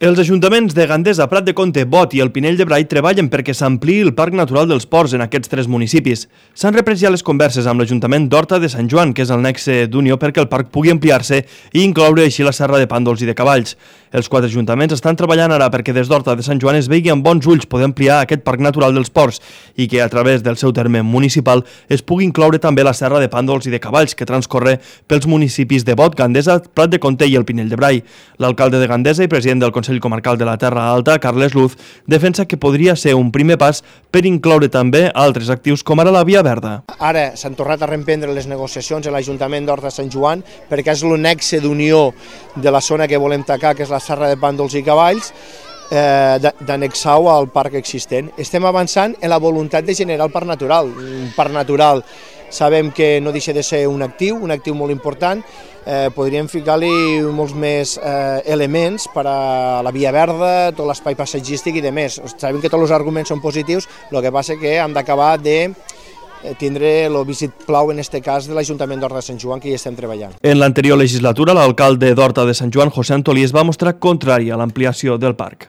Els ajuntaments de Gandesa, Prat de Comte, Bot i el Pinell de Brai treballen perquè s'ampliï el Parc Natural dels Ports en aquests tres municipis. S'han reprès ja les converses amb l'Ajuntament d'Horta de Sant Joan, que és el nexe d'unió perquè el parc pugui ampliar-se i incloure així la serra de Pàndols i de Cavalls. Els quatre ajuntaments estan treballant ara perquè des d'Horta de Sant Joan es vegi amb bons ulls poder ampliar aquest Parc Natural dels Ports i que a través del seu terme municipal es pugui incloure també la serra de Pàndols i de Cavalls que transcorre pels municipis de Bot, Gandesa, Prat de Comte i el Pinell de Brai. L'alcalde de Gandesa i president del Consell Comarcal de la Terra Alta, Carles Luz, defensa que podria ser un primer pas per incloure també altres actius com ara la Via Verda. Ara s'han tornat a reemprendre les negociacions a l'Ajuntament d'Horta de Sant Joan perquè és el nexe d'unió de la zona que volem tacar, que és la serra de Pàndols i Cavalls, d'annexar-ho al parc existent. Estem avançant en la voluntat de generar el parc natural. Un parc natural sabem que no deixa de ser un actiu molt important. Podríem ficar-li molts més elements per a la Via Verda, tot l'espai passatgístic i demés. Sabem que tots els arguments són positius, el que passa que hem d'acabar de tindre el vistiplau, en aquest cas, de l'Ajuntament d'Horta de Sant Joan, que hi estem treballant. En l'anterior legislatura, l'alcalde d'Horta de Sant Joan, José Antolí, es va mostrar contrari a l'ampliació del parc.